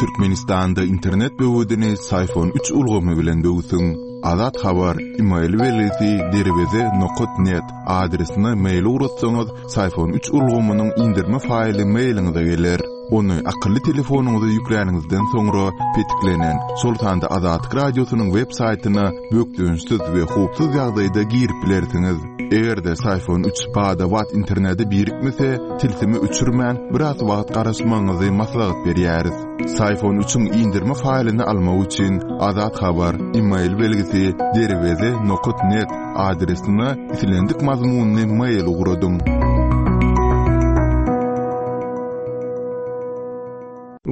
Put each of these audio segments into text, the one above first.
Türkmenistanda internet böwedini Syfon üç ulgamy bilen böwsüň. Azat Habar, email belgisi derweze nokat net adresine mail ugratsaňyz, Syfon üç ulgamynyň indirme faýly mailiňize geler. Ony akylly telefonyňyza ýükläniňizden soňra petiklenen, şol sanda Azatlyk Radiosynyň web saýtyna bökdençsiz we howpsuz ýagdaýda girip bilersiňiz. Eger-de Syfon üç bada-bat internete birikmese, tilsimi öçürmän, biraz wagt garaşmagyňyzy maslahat berýäris. Syfon üçiň indirme faýlyny almak üçin Azat Habar, email belgisi derweze nokat net adresine islendik mazmunly mail ugradyň.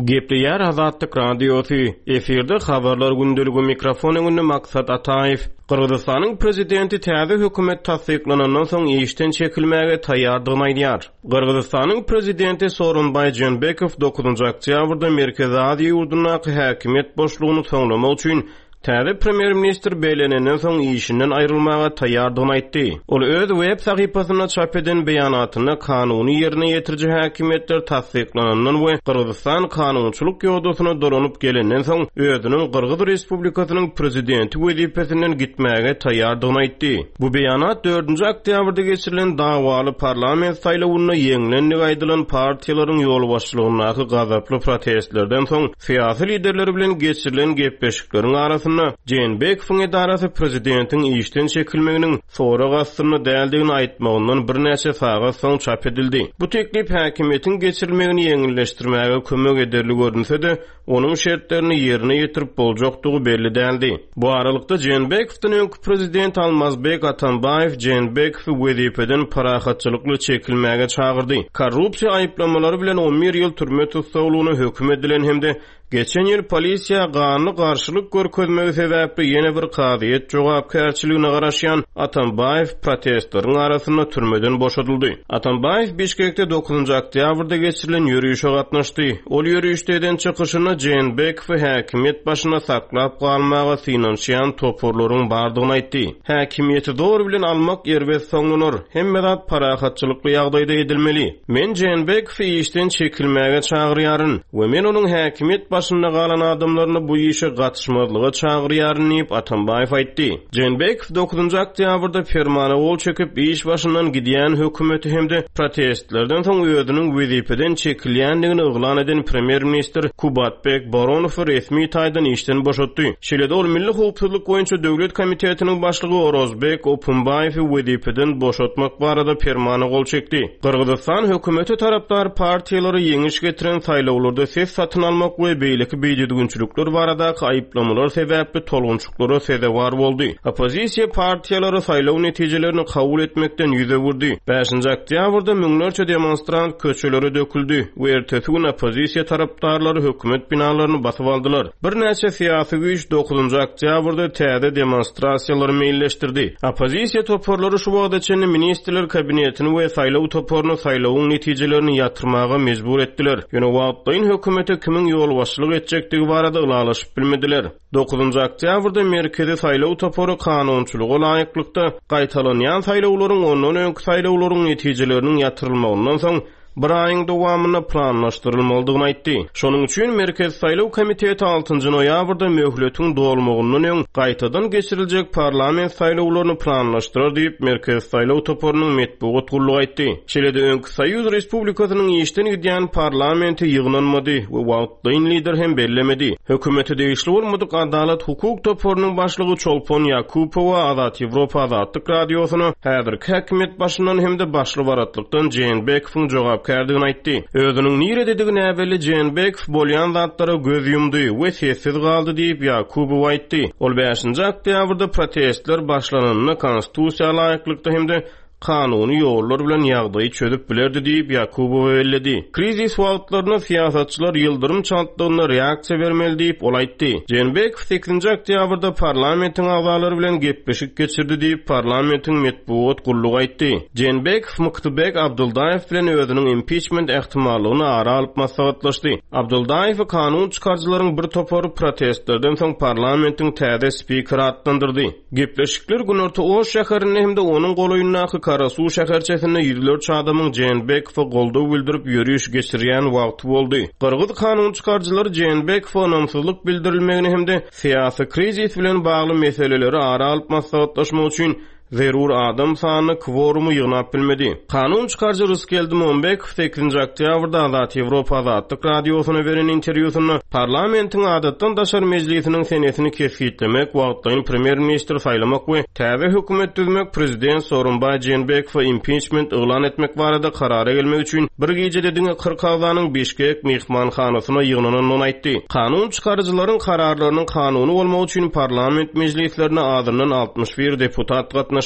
Gepleýär Azatlyk Radiosy, efirde Habarlar gündeligi mikrofon öňünde Maksat Ataýew. Gyrgyzystanyň prezidenti täze hökümet tassyklanandan soň işden çekilmäge taýýardygyny aýdýar. Gyrgyzystanyň prezidenti Sooronbaý Jeenbekow dokuzynjy oktýabrda Merkezi Aziýa ýurdundaky häkimiýet boşlugyny soňlamak üçin Täze premýer-ministr bellenenden soň işinden aýrylmaga taýýardygyny aýtdy. Ol öz web sahypasynda çap eden beýanatynda kanuny ýerine ýetiriji häkimiýetler tassyklanandan we Gyrgyzystan kanunçylyk ýodasyna dolanyp gelenden soň özüniň Gyrgyz Respublikasynyň prezidenti wezipesinden gitmäge taýýardygyny aýtdy. Bu beýanat dördünji oktýabrda geçirilen dawaly parlament saýlawynda ýeňlendigi aýdylan partiýalaryň ýolbaşçylygyndaky gazaply protestlerden soň Syýasy liderler bilen geçirilen gepleşikleriň arasynda Jeenbekowyň edarasy prezidentiň işden çekilmeginiň sorag astynda däldigini aýtmagyndan birnäçe sagat soň çap edildi. Bu teklip häkimiýetiň geçirilmegini ýeňilleşdirmäge kömek ederli görünse-de, onuň şertlerini ýerine ýetirip boljakdygy belli däldi. Bu aralykda, Jeenbekowdan öňki prezident Almazbek Atambaýew Jeenbekowy wezipeden parahatçylykly çekilmäge çagyrdy. Korrupsiýa aýyplamalary bilen on bir ýyl türme tussaglygyna höküm edilen hem-de geçen ýyl polisiýa ganly garşylyk görkezmegi sebäpli ýene bir kazyýet jogapkärçiligine garaşýan Atambaýew protestleriň arasynda türmeden boşadyldy. Atambaýew Bişkekde dokuzynjy oktýabrda geçirilen ýörişe gatnaşdy. Ol ýörişde eden çykyşynda Jeenbekowy häkimiýet başynda saklap galmaga synanyşýan toparlaryň bardygyny aýtdy. Häkimiýeti zor bilen almak erbet soňlanar. Hemme zat parahatçylykly ýagdaýda edilmeli. Men Jeenbekowy işden çekilmäge çagyrýaryn we men onuň häkimiýet başynda galan adamlaryny bu işe gatyşmazlyga çagyrýaryn diýip, Atambaýew aýtdy. Jeenbekow dokuzynjy oktýabrda permana gol çekip, iş başyndan gidýän hökümeti hem-de protestlerden soň özüniň wezipeden çekilýändigini yglan eden premýer-ministr Kubatbek Boronowy resmi taýdan işden boşatdy. Şeýle-de ol Milli howpsuzlyk boýunça döwlet komitetiniň başlygy Orozbek Opumbaýewi wezipeden boşatmak barada permana gol çekdi. Gyrgyzystan hökümete tarapdar partiýalara ýeňiş getiren saýlawlarda ses satyn almak we beýleki bidüzgünçilikler baradaky aýyplamalar sebäpli tolgunçyklara sezewar boldy. Oppozisiýa partiýalary saýlaw netijelerini kabul etmekden ýüz öwürdi. Bäşinji oktýabrda müňlerçe demonstrant köçelere döküldi we ertesi gün oppozisiýa tarapdarlary hökümet binalaryny basyp aldylar. Birnäçe syýasy güýç dokuzynjy oktýabrda täze demonstrasiýalary meýilleşdirdi. Oppozisiýa toparlary şu wagta çenli Ministrler Kabinetini we saýlaw toparyny saýlawyň netijelerini ýatyrmaga mejbur etdiler. Ýöne wagtlaýyn hökümete kimiň ýolbaşçylyk etjekdigi barada ylalaşyp bilmediler. Dokuzynjy oktýabrda Merkezi saýlaw topary kanunçylyga laýyklykda, gaýtalanýan saýlawlaryň ondan öňki saýlawlaryň netijeleriniň ýatyrylmagyndan soň bir aýyň dowamynda planlaşdyrylmalydygyny aýtdy. Şonuň üçin Merkezi saýlaw komiteti altynjy noýabrda möhletiň dolmagyndan öň gaýtadan geçiriljek parlament saýlawlaryny planlaşdyrar diýip, Merkezi saýlaw toparynyň metbugat gullugy aýtdy. Şeýle-de öňki Soýuz respublikasynyň işden gidýän parlamenti ýygnanmady we wagtlaýyn lider hem bellemedi. Hökümete degişli bolmadyk Adalat hukuk toparynyň başlygy Çolpon Ýakupowa Azat Ýewropa Azatlyk Radiosyna häzirki häkimiýet başyndan hem-de başly-baratlykdan Jeenbekowyň jogapkärdigini aýtdy. Özüniň nirededigi näbelli Jeenbekow bolýan zatlara göz ýumdy we sessiz galdy diýip, Ýakubowa aýtdy. Ol bäşinji oktýabrda protestler başlananda konstitusiýa laýyklykda hem-de kanuny ýollar bilen ýagdaýy çözüp bilerdi diýip, Ýakubowa belledi. Krizis wagtlarynda syýasatçylar ýyldyrym çaltlygynda reaksiýa bermeli diýip, ol aýtdy. Jeenbekow sekizinji oktýabrda parlamentiň agzalary bilen gepleşik geçirdi diýip, parlamentiň metbugat gullugy aýtdy. Jeenbekow Mykdybek Abdyldaýew bilen özüniň impiçment ähtimallygyny ara alyp maslahatlaşdy. Abdyldaýewi kanun çykaryjylaryň bir topary protestlerden soň parlamentiň täze spikeri atlandyrdy. Gepleşikler Günorta Oş şäherinde hem-de onuň golaýyndaky. Karasuw şäherçesinde ýüzlerçe adamyň Jeenbekowa goldaw bildirip ýöriş geçirýän wagty boldy. Gyrgyz kanun çykaryjylary Jeenbekowa ynamsyzlyk bildirilmegini hem-de syýasy krizis bilen bagly meseleleri ara alyp maslahatlaşmak üçin zerur adam sanyny, kworumy ýygnap bilmedi. Kanun çykaryjy Rysgeldi Mombekow sekizinji oktýabrda Azat Ýewropa Azatlyk Radiosyna beren interwýusynda parlamentiň adatdan daşary mejlisiniň senesini kesgitlemek, wagtlaýyn premýer-ministri saýlamak we täze hökümet düzmek, prezident Sooronbaý Jeenbekowa impiçment yglan etmek barada karara gelmek üçin bir gijede diňe 40 agzanyň Bişkek myhmanhanasyna ýygnanandygyny aýtdy. Kanun çykaryjylaryň kararlarynyň kanuny bolmagy üçin parlament mejlislerine azyndan 61 deputat gatnaşmaly.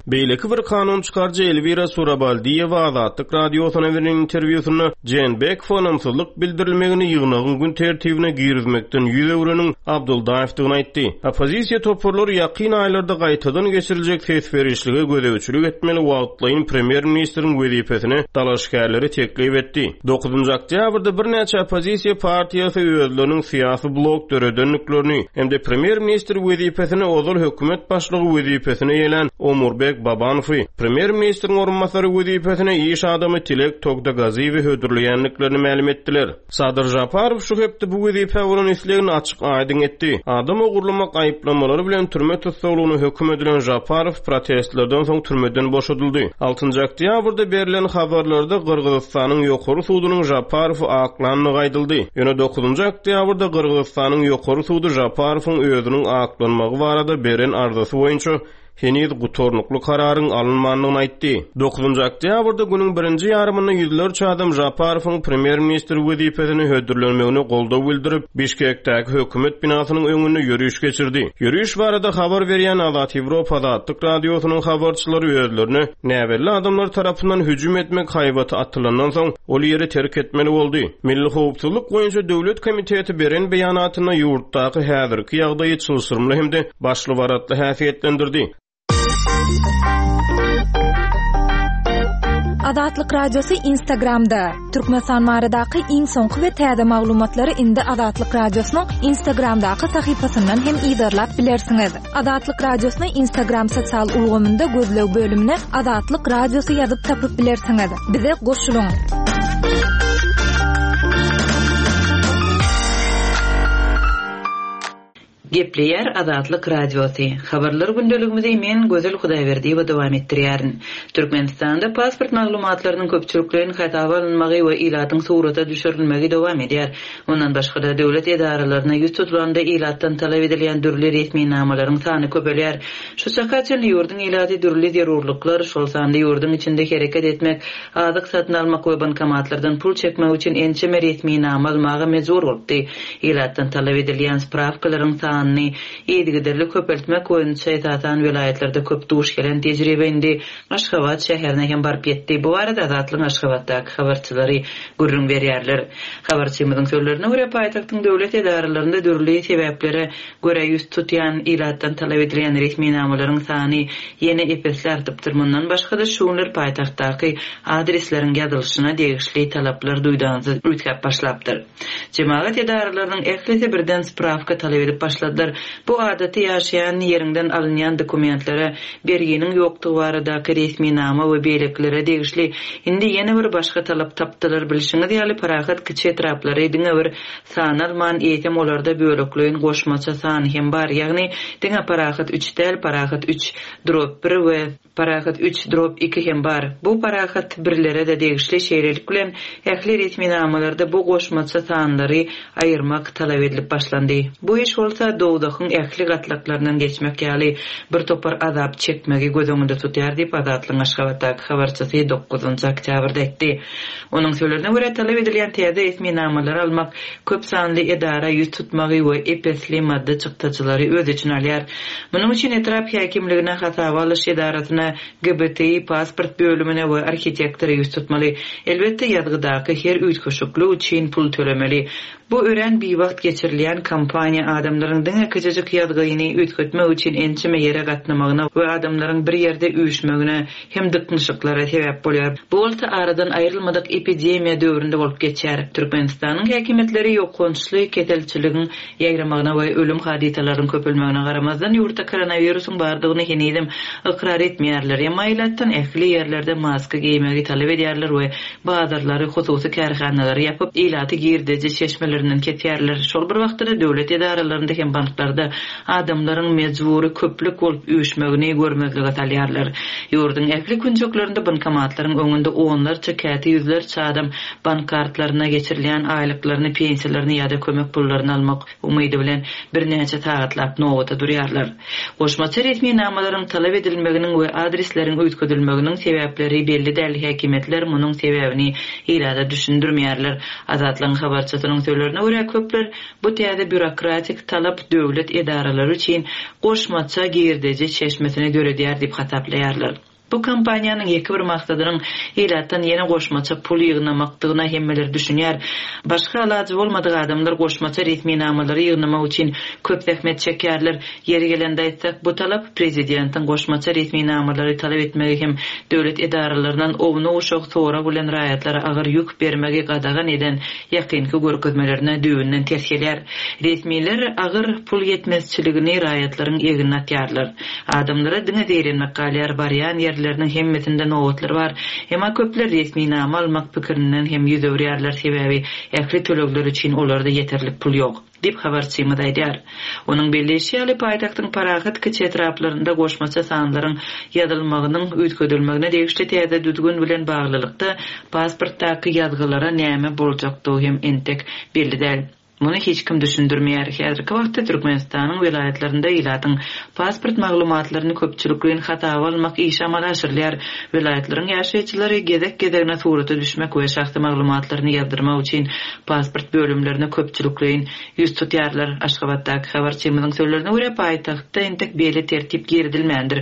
Beýleki bir kanun çykaryjy Elwira Surabaldiýewa Azatlyk Radiosyna beren interwýusynda Jeenbekowa ynamsyzlyk bildirilmegini ýygnagyň gün tertibine girizmekden ýüz öwreniň Abduldaýewdigini aýtdy. Oppozisiýa toparlary ýakyn aýlarda gaýtadan geçiriljek ses berişlige gözegçilik etmeli wagtlaýyn premýer-ministriň wezipesine dalaşgärleri teklip etdi. Dokuzynjy oktýabrda birnäçe oppozisiýa partiýasy özleriniň syýasy blok döredendiklerini hem-de premýer-ministr wezipesine ozal hökümet başlygy wezipesini eýelän Omurbek Babanowy, premýer-ministriň orunbasary wezipesine iş adamy Tilek Togtagaziýewi hödürleýändiklerini mälim etdiler. Sadyr Žaparow şu hepde bu wezipä bolan islegini açyk-aýdyň etdi. Adam ogurlamak aýyplamalary bilen türme tussaglygyna höküm edilen Žaparow protestlerden soň türmeden boşadyldy. Altynjy oktýabrda berlen habarlarda Gyrgyzystanyň Ýokary sudunyň Žaparowy aklandygy aýdyldy. Ýöne dokuzynjy oktýabrda Gyrgyzystanyň Ýokary sudy Žaparowyň özüniň aklanmagy barada beren arzasy boýunça heniz gutarnykly kararyň alynmandygyny aýtdy. Dokuzynjy oktýabrda günüň birinji ýarymynda ýüzlerçe adam Žaparowyň premýer-ministr wezipesine hödürlenmegine goldaw bildirip, Bişkekdäki hökümet binasynyň öňünde ýöriş geçirdi. Ýöriş barada habar berýän Azat Ýewropa Azatlyk Radiosynyň habarçylary özlerine näbelli adamlar tarapyndan hüjüm etmek haýbaty atylandan soň, ol ýeri terk etmeli boldy. Milli howpsuzlyk boýunça döwlet komiteti beren beýanatynda ýurtdaky häzirki ýagdaýy çylşyrymly hem-de başly-baratly häsiýetlendirdi. Azatlyk Radiosy Instagramda, Türkmenistan baradaky iň soňky we täze maglumatlary indi Azatlyk Radiosynyň Instagramdaky sahypasyndan hem yzarlap bilersiňiz. Azatlyk Radiosyny Instagram sosial ulgamynda gözleg bölümine Azatlyk Radiosy ýazyp tapyp bilersiňiz. Bize goşulyň! Gepleýär Azatlyk Radiosy. Habarlar gündeligimizi men, Gözel Hudaýberdiýewa dowam etdirýärin. Türkmenistanda pasport maglumatlarynyň köpçülikleýin hasaba alynmagy we ilatyň surata düşürilmegi dowam edýär. Mundan başga-da, döwlet edaralaryna ýüz tutulanda ilatdan talap edilýän dürli resminamalaryň sany köpelýär. Şu çaka çenli ýurduň ilaty dürli zerurlyklar, şol sanda ýurduň içinde hereket etmek, azyk satyn almak we bankomatlardan pul çekmek üçin ençeme resminama almaga mejbur bolupdy. Ilatdan talap edilýän sprawkalaryň sanyny yzygiderli köpeltmek boýunça esasan welaýatlarda köp duş gelen tejribe indi Aşgabat şäherine hem baryp ýetdi. Bu barada Azatlygyň Aşgabatdaky habarçylary gürrüň berýärler. Habarçymyzyň sözlerine görä, paýtagtyň döwlet edaralarynda dürli sebäplere görä ýüz tutýan ilatdan talap edilýän resminamalaryň sany ýene ep-esli artypdyr. Mundan başga-da, şu günler paýtagtdaky adresleriň ýazylyşyna degişli talaplar duýdansyz üýtgäp başlapdyr. Jemagat edaralarynyň ählisi birden sprawka talap edip başladylar. Bu adaty ýaşaýan ýeriňden alynýan dokumentlere, berginiň ýokdugy baradaky resminama we beýlekilere degişli. Indi ýene bir başga talap tapdylar. Bilşiňiz ýaly, parahat kiçi etraplary diňe bir sanalman, eýsem olarda bölekleýin goşmaça san hem bar, ýagny diňe parahat üç däl, parahat üç drop bir we. Parahat üç drop iki hem bar. Bu parahat birlere-de degişli, şeýlelik bilen, ähli resminamalarda bu goşmaça sanlary aýyrmak talap edilip başlandy. Bu iş bolsa dowzahyň ähli gatlaklaryndan geçmek ýaly bir topar azap çekmegi göz öňünde tutýar diýip, Azatlygyň Aşgabatdaky habarçysy dokuzynjy oktýabrda aýtdy. Onuň sözlerine görä, talap edilýän täze resminamalary almak köp sanly edara ýüz tutmagy we ep-esli maddy çykdajylary öz içine alýar. Munuň üçin etrap häkimligine, hasaba alyş edarasyna, GBTI pasport bölümine we arhitektora ýüz tutmaly. Elbetde, ýazgydaky her üýtgeşiklik üçin pul tölemeli. Bu örän biwagt geçirilýän kampaniýa adamlaryň diňe. diňe kiçijik ýazgyny üýtgetmek üçin ençeme ýere gatnamagyna we adamlaryň bir ýerde üýşmegine hem dyknyşyklara sebäp bolýar. Bu bolsa aradan aýrylmadyk epidemiýa döwründe bolup geçýär. Türkmenistanyň häkimiýetleri ýokançly keselçiligiň ýaýramagyna we ölüm hadysalarynyň köpelmegine garamazdan, ýurtda koronawirusyň bardygyny henizem ykrar etmeýärler. Emma ilatdan ähli ýerlerde maska geýmegi talap edýärler we bazarlary, hususy kärhanalary ýapyp, ilaty girdeji çeşmelerinden kesýärler. Şol bir wagtda-da döwlet edaralarynda hem banklarda adamlaryň mejbury köplük bolup üýşmegini görmezlige salýarlar. Ýurduň ähli künjeklerinde bankomatlaryň öňünde onlarça, käte ýüzlerçe adam bank kartlaryna geçirilýän aýlyklaryny, pensiýalaryny ýa-da kömek pullaryny almak umydy bilen birnäçe sagatlap nobata durýarlar. Goşmaça resminamalaryň talap edilmeginiň we adresleriň üýtgedilmeginiň sebäpleri belli däl, häkimiýetler munuň sebäbini ilata düşündirmeýärler. Azatlygyň habarçysynyň sözlerine görä, köpler bu täze býurokratik talap döwlet edaralary üçin goşmaça girdeji çeşmesini döredýär diýip hasaplaýarlar. Bu kampaniýanyň ýeke bir maksadynyň ilatdan ýene goşmaça pul ýygnamakdygyna hemmeler düşünýär. Başga alajy bolmadyk adamlar goşmaça resminamalary ýygnamak üçin köp zähmet çekýärler. Ýeri gelende aýtsak, bu talap prezidentiň goşmaça resminamalary talap etmegi hem döwlet edaralaryndan ownuk-uşak sorag bilen raýatlara agyr ýük bermegi gadagan eden ýakynky görkezmelerine düýbünden ters gelýär. Resmiler agyr pul ýetmezçiligini raýatlaryň egnine atýarlar. Adamlara diňe zeýrenmek galýar, barýan ýerleriniň hemmesinde nobatlar bar. Emma köpler resminama almak pikirinden hem ýüz öwürýärler, sebäbi ähli tölegler üçin olarda ýeterlik pul ýok. Diýip, habarçymyz aýdýar. Onuň belleýşi ýaly, paýtagtyň parahat kiçi etraplarynda goşmaça sanlaryň ýazylmagynyň üýtgedilmegine degişli täze düzgün bilen baglylykda, pasportdaky ýazgylara näme boljakdygy hem entek belli däl. Muny hiç kim düşündirmeýär. Häzirki wagtda Türkmenistanyň welaýatlarynda ilatyň pasport maglumatlaryny köpçülikleýin hasaba almak işi amala aşyrylýar. Welaýatlaryň ýaşaýjylary gezek-gezegine surata düşmek we şahsy maglumatlaryny ýazdyrmak üçin pasport bölümlerine köpçülikleýin ýüz tutýarlar. Aşgabatdaky habarçymyzyň sözlerine görä, paýtagtda entek beýle tertip girizilmändir.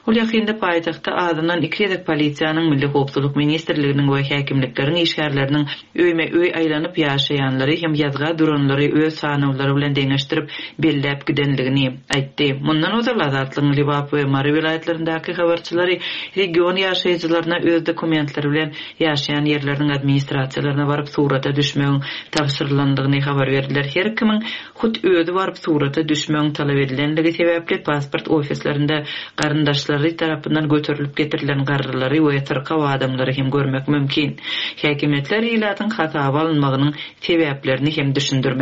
Ol ýakynda paýtagtda azyndan iki gezek polisiýanyň, Milli howpsuzlyk ministrliginiň we häkimlikleriň işgärleriniň öýme-öý aýlanyp, ýaşaýanlary hem ýazga duranlary öz sanawlary bilen deňeşdirip, belläp gidenligini aýtdy. Mundan ozal Azatlygyň Lebap we Mary welaýatlaryndaky habarçylary region ýaşaýjylaryna öz dokumentleri bilen ýaşaýan ýerleriniň administrasiýalaryna baryp surata düşmegiň tabşyrylandygyny habar berdiler. Her kimiň hut özi baryp surata düşmegiň talap edilenligi sebäpli pasport ofislerinde garyndaşlary tarapyndan göterilip getirilen garrylary we syrkaw adamlary hem görmek mümkin. Häkimiýetler ilatyň hasaba alynmagynyň sebäplerini hem düşündirmedi.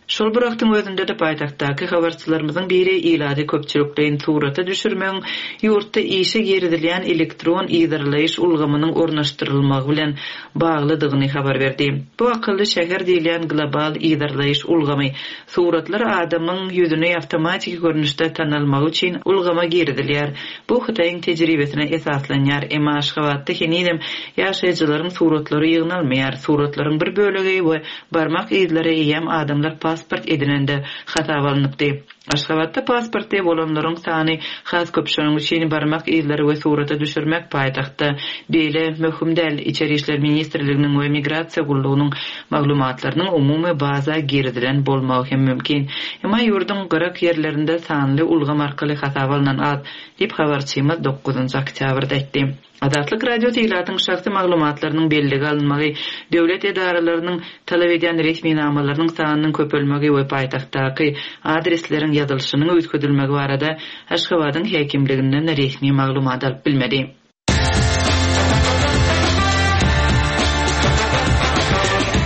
Şol bir wagtyň özünde-de paýtagtdaky habarçylarymyzyň biri ilaty köpçülikleýin surata düşürmegiň ýurtda işe girizilýän elektron yzarlaýyş ulgamynyň ornaşdyrylmagy bilen baglydygyny habar berdi. Bu akylly şäher diýilýän global yzarlaýyş ulgamy suratlar adamyň ýüzüni awtomatiki görnüşde tanalmagy üçin ulgama girizilýär. Bu Hytaýyň tejribesine esaslanýar. Emma Aşgabatda henizem ýaşaýjylaryň suratlary ýygnalmaýar. Suratlaryň bir bölegi we Barmak yzlary eýýäm adamlar pasport edinende hasaba alnypdy. Aşgabatda pasportly bolanlaryň sany has köp şonuň üçin barmak yzlary we surata düşürmek paýtagtda beýle möhüm däl. Içeri işler ministrliginiň we migrasiýa gullugynyň maglumatlarynyň umumy baza girizilen bolmagy hem mümkin. Emma ýurduň gyrak ýerlerinde sanly ulgam arkaly hasaba alnan az, diýip habarçymyz dokuzynjy oktýabrda aýtdy. Azatlyk Radiosy ilatyň şahsy maglumatlarynyň bellige alynmagy, döwlet edaralarynyň talap edýän resminamalarynyň sanynyň köpelmegi we paýtagtdaky adresleriň ýazylyşynyň üýtgedilmegi barada Aşgabadyň häkimliginden resmi maglumat alyp bilmedi.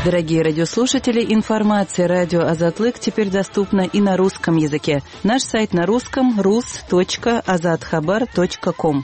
Дорогие радиослушатели, информация радио Азатлык теперь доступна и на русском языке. Наш сайт на русском rus.azathabar.com.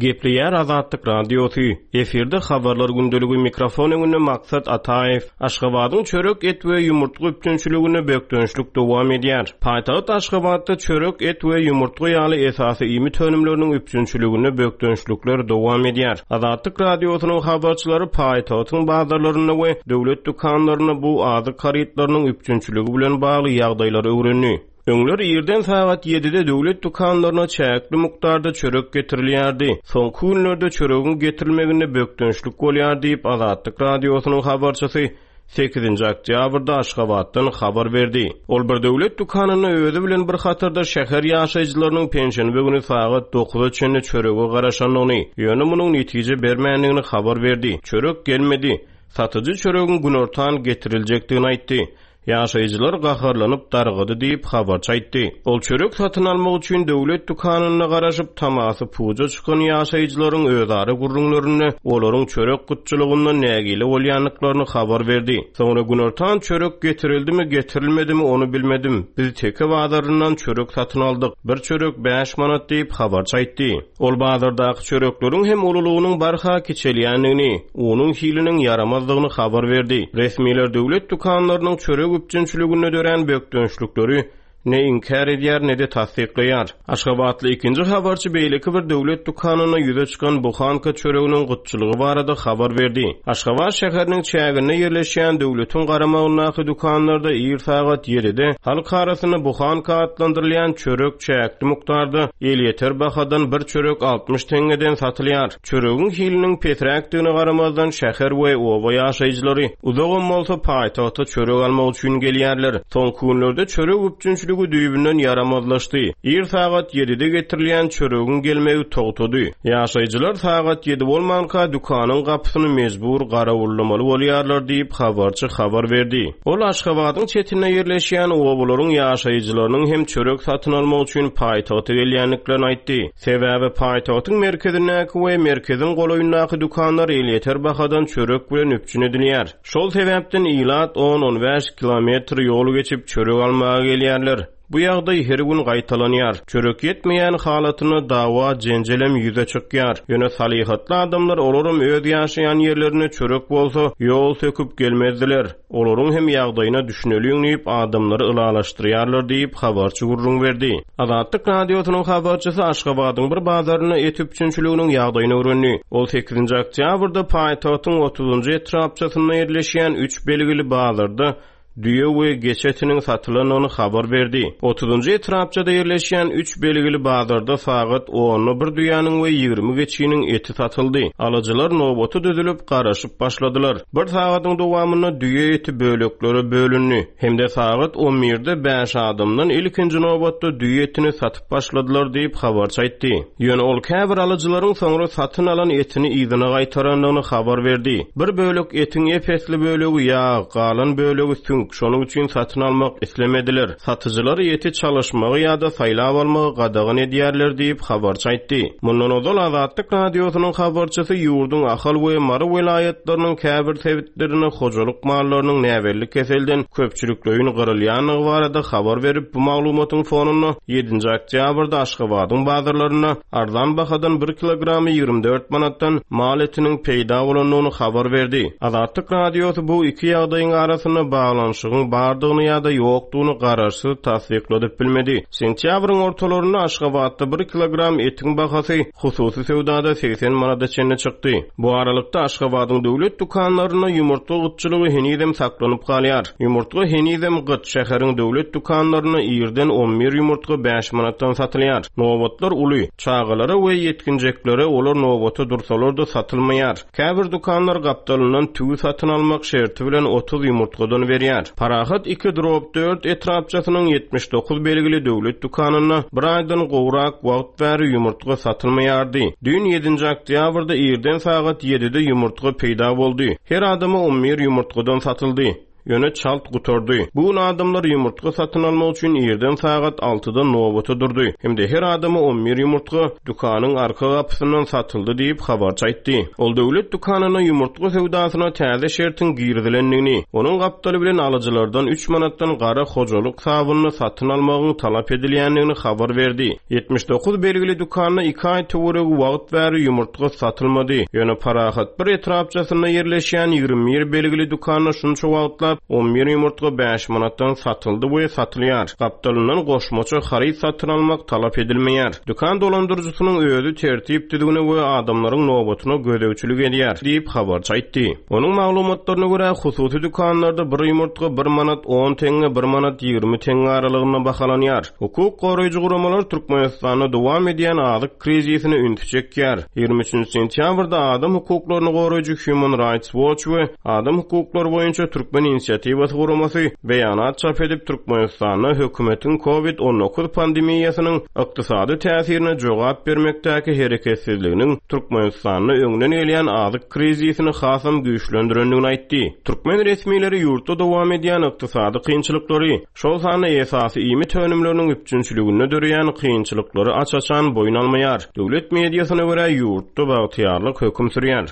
Gepleýär Azatlyk Radiosy, efirde Habarlar gündeligi mikrofon öňünde Maksat Ataýew. Aşgabadyň çörek, et we ýumurtga üpjünçiliginde bökdençlik dowam edýär. Paýtagt Aşgabatda çörek, et we ýumurtga ýaly esasy iýmit önümleriniň üpjünçiliginde bökdençlikler dowam edýär. Azatlyk Radiosynyň habarçylary paýtagtyň bazarlarynda we döwlet dükanlarynda bu azyk harytlarynyň üpjünçiligi bilen bagly ýagdaýlary öwrendi. Öňler irden sagat ýedide döwlet dükanlaryna çäkli mukdarda çörek getirilýärdi. Soňky günlerde çöregiň getirilmeginde bökdençlik bolýar diýip, Azatlyk Radiosynyň habarçysy sekizinji oktýabrda Aşgabatdan habar berdi. Ol bir döwlet dükanynda özi bilen bir hatarda şäher ýaşaýjylarynyň penşenbe güni sagat dokuza çenli çörege garaşandygyny, ýöne munuň netije bermändigini habar berdi. Çörek gelmedi. Satyjy çöregiň günortan getiriljekdigini aýtdy. Ýaşaýjylar gaharlanyp dargady diýip, habarçy aýtdy. Ol çörek satyn almak üçin döwlet dükanynda garaşyp, tamasy puja çykan ýaşaýjylaryň özara gürrüňlerinde olaryň çörek gytçylygyndan nägile bolýandyklaryny habar berdi. Soňra günortan çörek getirildimi, getirilmedimi, ony bilmedim. Biz Teke bazaryndan çörek satyn aldyk. Bir çörek bäş manat diýip, habarçy aýtdy. Ol bazardaky çörekleriň hem ululygynyň barha kiçelýändigini, unuň hiliniň ýaramazdygyny habar berdi. Resmiler döwlet dükanlarynyň çörek üpjünçiliginde dörän bökdençlikleri ne inkär edýär, ne-de tassyklaýar. Aşgabatly ikinji habarçy beýleki bir döwlet dükanynda ýüze çykan buhanka çöreginiň gytçylygy barada habar berdi. Aşgabat şäheriniň çäginde ýerleşýän döwletiň garamagyndaky dükanlarda ir sagat ýedide halk arasynda buhanka atlandyrylýan çörek çäkli mukdarda elýeter bahadan bir çörek 60 teňňeden satylýar. Çöregiň hiliniň pesräkdigine garamazdan şäher we oba ýaşaýjylary uzagam bolsa paýtagta çörek almak üçin gelýärler. Soňky günlerde çörek üpjünçiligi düýbünden ýaramazlaşdy. Ir sagat ýedide getirilýän çöregiň gelmegi togtady. Ýaşaýjylar sagat ýedi bolmanka dükanyň gapysyny mejbur garawullamaly bolýarlar diýip, habarçy habar berdi. Ol Aşgabadyň çetinde ýerleşýän obalaryň ýaşaýjylarynyň hem çörek satyn almak üçin paýtagta gelýändiklerini aýtdy. Sebäbi paýtagtyň merkezindäki we merkeziň golaýyndaky dükanlar elýeter bahadan çörek bilen üpjün edilýär. Şol sebäpden ilat on-on bäş kilometr ýol geçip çörek almaga gelýärler. Bu ýagdaý her gün gaýtalanýar. Çörek ýetmeýän halatynda dawa-jenjelem ýüze çykýar. Ýöne salyhatly adamlar olaram öz ýaşaýan ýerlerinde çörek bolsa, ýol söküp gelmezdiler. Olaryň hem ýagdaýyna düşüneliň diýip, adamlary ylalaşdyrýarlar diýip, habarçy gürrüň berdi. Azatlyk Radiosynyň habarçysy Aşgabadyň bir bazarynda et üpjünçiliginiň ýagdaýyny öwrendi. Ol sekizinji oktýabrda paýtagtyň otuzynjy etrapçasynda ýerleşýän üç belgili bazarda düýe we geçi etiniň satylandygyny habar berdi. Otuzynjy etrapçada ýerleşýän üç belgili bazarda sagat onda bir düýäniň we 20 geçiniň eti satyldy. Alyjylar nobata düzülip, garaşyp başladylar. Bir sagadyň dowamynda düýe eti böleklere bölündi hem-de sagat on birde bäş adamdan ilkinji nobatda düýe etini satyp başladylar diýip, habarçy aýtdy. Ýöne ol käbir alyjylaryň soňra satyn alan etini yzyna gaýtarandygyny habar berdi. Bir bölek etiň ep-esli bölegi ýag, galan bölegi süňk, şonuň üçin satyn almak islemediler. Satyjylar eti çalyşmagy ýa-da saýlap almagy gadagan edýärler diýip, habarçy aýtdy. Mundan ozal Azatlyk Radiosynyň habarçysy ýurduň Ahal we Mary welaýatlarynyň käbir sebitlerinde hojalyk mallarynyň näbelli keselden köpçülikleýin gyrylýandygy barada habar berip, bu maglumatyň fonunda ýedinji oktýabrda Aşgabadyň bazarlarynda arzan bahadan bir kilogramy 24 manatdan mal etiniň peýda bolandygyny habar berdi. Azatlyk Radiosy bu iki ýagdaýyň arasynda baglanyşygyň bardygyny ýa-da ýokdugyny garaşsyz tassykladyp bilmedi. Sentýabryň ortalarynda Aşgabatda bir kilogram etiň bahasy hususy söwdada 80 manada çenli çykdy. Bu aralykda, Aşgabadyň döwlet dükanlarynda ýumurtga gytçylygy henizem saklanyp galýar. Ýumurtga henizem gyt, şäheriň döwlet dükanlarynda irden on bir ýumurtga bäş manatdan satylýar. Nobatlar uly. Çagalara we ýetginjeklere olar nobata dursalar-da satylmaýar. Käbir dükanlar gapdalyndan tüwi satyn almak şerti bilen 30 ýumurtgadan berýär. Parahat iki drob dört etrapçasynyň 79 belgili döwlet dükanynda bir aýdan gowrak wagt bäri ýumurtga satylmaýardy. Düýn ýedinji oktýabrda irden sagat ýedide ýumurtga peýda boldy. Her adama on bir ýumurtgadan satyldy. Ýöne çalt gutardy. Bu gün adamlar ýumurtga satyn almak üçin irden sagat altyda nobata durdy hem-de her adama on bir ýumurtga dükanyň arka gapysyndan satyldy diýip, habarçy aýtdy. Ol döwlet dükanynda ýumurtga söwdasyna täze şertiň girizilendigini, onuň gapdaly bilen alyjylardan üç manatdan gara hojalyk sabynyny satyn almagyň talap edilýändigini habar berdi. 79 belgili dükanda iki aý töweregi wagt bäri ýumurtga satylmady. Ýöne Parahat bir etrapçasynda ýerleşýän 21 belgili dükanda şunça wagtlap. gap 11 ýumurtga 5 manatdan satyldy we satylýar. Gapdalyndan goşmaça haryt satyn almak talap edilmeýär. Dükan dolandyryjysynyň özi tertip-düzgüne we adamlaryň nobatyna gözegçilik edýär, diýip, habarçy aýtdy. Onuň maglumatlaryna görä, hususy dükanlarda bir ýumurtga bir manat on teňňe, bir manat 20 teňňe aralygynda bahalanýar. Hukuk goraýjy guramalar Türkmenistanda dowam edýän azyk krizisine ünsi çekýär. 23-nji sentýabrda adam hukuklaryny goraýjy Human Rights Watch we Adam hukuklary boýunça Türkmen inisiatiwasy guramasy beýanat çap edip, Türkmenistanda hökümetiň Covid 19 pandemiýasynyň ykdysady täsirine jogap bermekdäki hereketsizliginiň Türkmenistanda öňden gelýän azyk krizisini hasam güýçlendirendigini aýtdy. Türkmen resmileri ýurtda dowam edýän ykdysady kynçylyklary, şol sanda esasy iýmit önümleriniň üpjünçiliginde döreýän kynçylyklary aç-açan boýun almaýar. Döwlet mediasyna görä, ýurtda bagtyýarlyk höküm sürýär.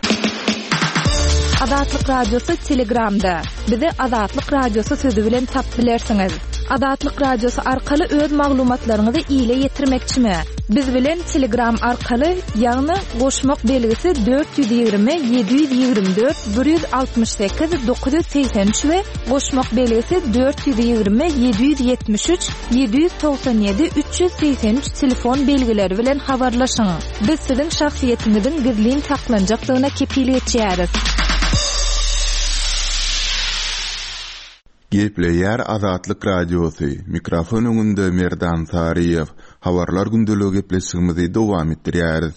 Azatlyk Radiosy Telegramda. Bizi Azatlyk Radiosy sözi bilen tapyp bilersiňiz. Azatlyk Radiosy arkaly öz maglumatlaryňyzy ile ýetirmekçimi? Biz bilen Telegram arkaly, ýagny goşmak belgisi 420 724 168 983 we goşmak belgisi 420 773 797 383 telefon belgileri bilen habarlaşyň. Biz siziň şahsyýetiňiziň gizlin saklanjakdygyna kepil geçýäris. Gepleýär Azatlyk Radiosy, mikrofon öňünde Merdan Saryýew. Habarlar gündeligi gepleşigimizi dowam etdirýäris.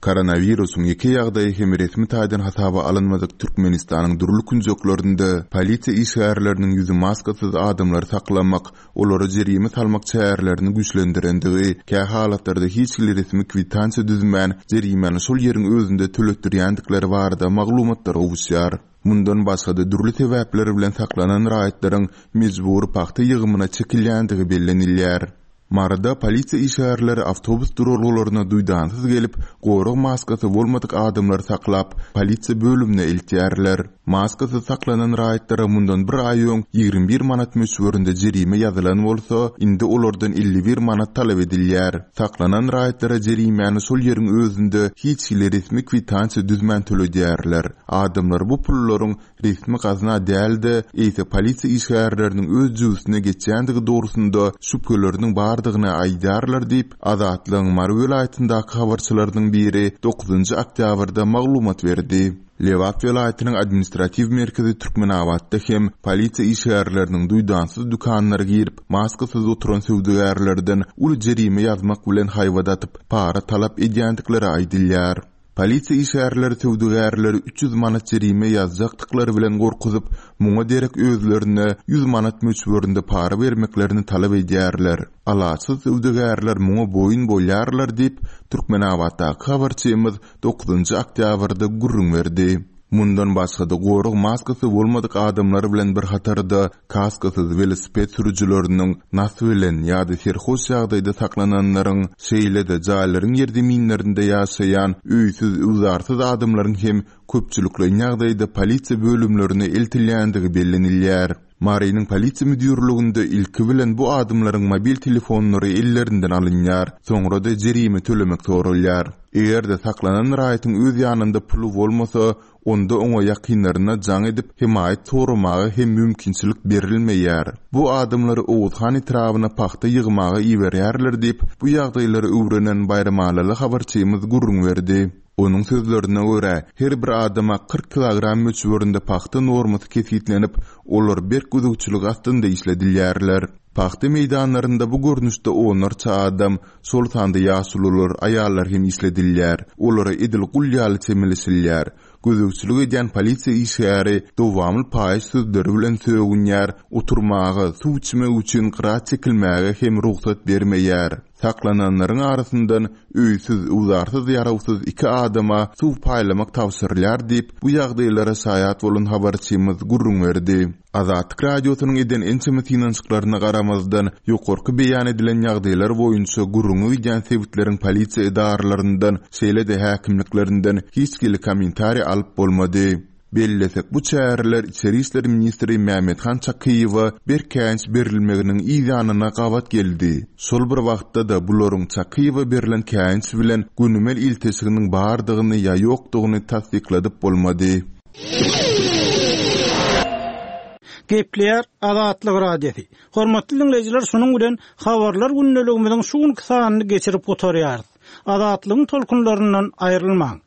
Koronawirusyň ýeke ýagdaýy hem resmi taýdan hasaba alynmadyk Türkmenistanyň dürli künjeklerinde polisiýa işgärleriniň ýüzi maskasyz adamlary saklamak, olara jerime salmak çärelerini güýçlendirendigi, kähalatlarda hiç hili resmi kwitansiýa düzmän, jerimäni şol ýeriň özünde töletdirýändikleri barada maglumatlar gowuşýar. Mundan başga-da dürli sebäpler bilen saklanan raýatlaryň mejbury pagta ýygymyna çekilýändigi bellenilýär. Maryda polisiýa işgärleri awtobus duralgalaryna duýdansyz gelip, gorag maskasy bolmadyk adamlary saklap, polisiýa bölümine eltýärler. Maskasyz saklanan raýatlara mundan bir aý öň 21 manat möçberinde jerime ýazylan bolsa, indi olardan 51 manat talap edilýär. Saklanan raýatlara jerimäni şol ýeriň özünde hiç hili resmi kwitansiýa düzmän töledýärler. Adamlar bu pullaryň resmi gazna däl-de, eýse polisiýa işgärleriniň öz jübüsine geçýändigi dogrusynda şübheleriniň bardygyny aýdýarlar diýip, Azatlygyň Mary welaýatyndaky habarçylarynyň biri dokuzynjy oktýabrda maglumat berdi. Lebap welaýatynyň administratiw merkezi Türkmenabatda hem polisiýa işgärleriniň duýdansyz dükanlara girip, maskasyz oturan söwdagärlerden uly jerime ýazmak bilen haýbat atyp, para talap edýändikleri aýdylýar. Polisiýa işgärleri söwdagärleri 300 manat jerime ýazjakdyklary bilen gorkuzyp, muňa derek özlerine 100 manat möçberinde para bermeklerini talap edýärler. Alaçsyz söwdagärler muňa boýun bolýarlar diýip, Türkmenabatdaky habarçymyz dokuzynjy oktýabrda gürrüň berdi. Mundan başga-da, gorag maskasy bolmadyk adamlar bilen bir hatarda kaskasyz welosiped sürüjileriniň, nas bilen ýa-da serhoş ýagdaýda saklananlaryň, şeýle-de jaýlaryň ýerzeminlerinde ýaşaýan öýsüz-öwzarsyz adamlaryň hem köpçülikleýin ýagdaýda polisiýa bölümlerine eltilýändigi bellenilýär. Marynyň polisiýa müdirliginde ilki bilen bu adamlaryň mobil telefonlary ellerinden alynýar, soňra-da jerime tölemek soralýar. Eger-de saklanan raýatyň öz ýanynda puly bolmasa, onda oňa ýakynlaryna jaň edip, hemaýat soramaga hem mümkinçilik berilmeýär. Bu adamlary Oguzhan etrabyna pagta ýygmaga iberýärler diýip, bu ýagdaýlary öwrenen baýramalyly habarçymyz gürrüň berdi. Onuň sözlerine görä, her bir adama 40 kilogram möçberinde pagta normasy kesgitlenip, olar berk gözegçilik astynda işledilýärler. Pagta meýdanlarynda bu görnüşde onlarça adam, şol sanda ýaşulular, aýallar hem işledilýär. Olara edil gul ýaly çemeleşilýär. Gözegçilik edýän polisiýa işgäri dowamly paýyş sözleri bilen sögünýär, oturmaga, suw içmek üçin gyra çekilmäge hem rugsat bermeýär. Saklananlaryň arasyndan öýsüz, öwzarsyz, ýarawsyz iki adama suw paýlamak tabşyrylýar diýip, bu ýagdaýlara şaýat bolan habarçymyz gürrüň berdi. Azatlyk Radiosynyň eden ençeme synanyşyklaryna garamazdan, ýokarky beýan edilen ýagdaýlar boýunça gürrüňi gidýän sebitleriň polisiýa edaralaryndan, şeýle-de häkimliklerinden hiç hili kommentariý alyp bolmady. Bellesek, bu çäreler içeri işler ministri Mämmethan Çakyýewe berk käýinç berilmeginiň yz ýanyna gabat geldi. Şol bir wagtda-da, bularyň Çakyýewe berlen käýinç bilen gönümel ilteşiginiň bardygyny ýa ýokdugyny tassykladyp bolmady. Gepleýär Azatlyk Radiosy. Hormatly diňleýjiler, şunuň bilen Habarlar gündeligimiziň şu günki sanyny geçirip gutarýarys. Azatlygyň tolkunlaryndan aýrylmaň!